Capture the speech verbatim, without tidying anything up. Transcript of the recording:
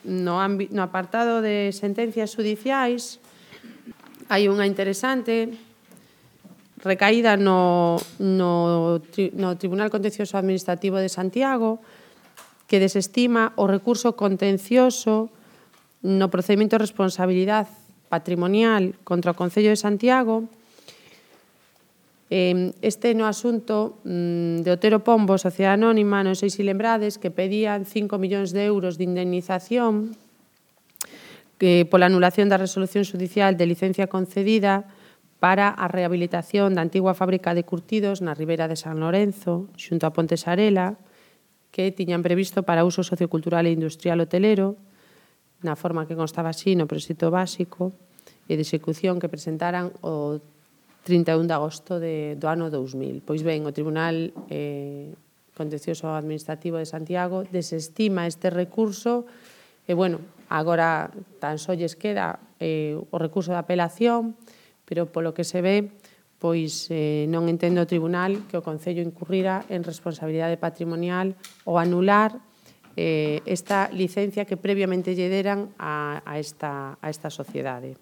no, no apartado de sentencias judiciais hai unha interesante recaída no, no, no Tribunal Contencioso Administrativo de Santiago, que desestima o recurso contencioso no procedimento de responsabilidade patrimonial contra o Concello de Santiago. Este no asunto de Otero Pombo, Sociedade Anónima, non sei se lembrades, que pedían cinco millóns de euros de indemnización que pola anulación da resolución judicial de licencia concedida para a rehabilitación da antigua fábrica de curtidos na Ribeira de San Lorenzo, xunto a Ponte Sarela, que tiñan previsto para uso sociocultural e industrial hotelero, na forma que constaba así no proxecto básico e de execución que presentaran o trinta e un de agosto de, do ano dous mil. Pois ben, o Tribunal eh, Contencioso Administrativo de Santiago desestima este recurso e, bueno, agora tan só lles queda eh, o recurso de apelación, pero polo que se ve, pois eh, non entende o Tribunal que o Concello incurrira en responsabilidade patrimonial ou anular eh, esta licencia que previamente lle deran a, a, esta, a esta sociedade.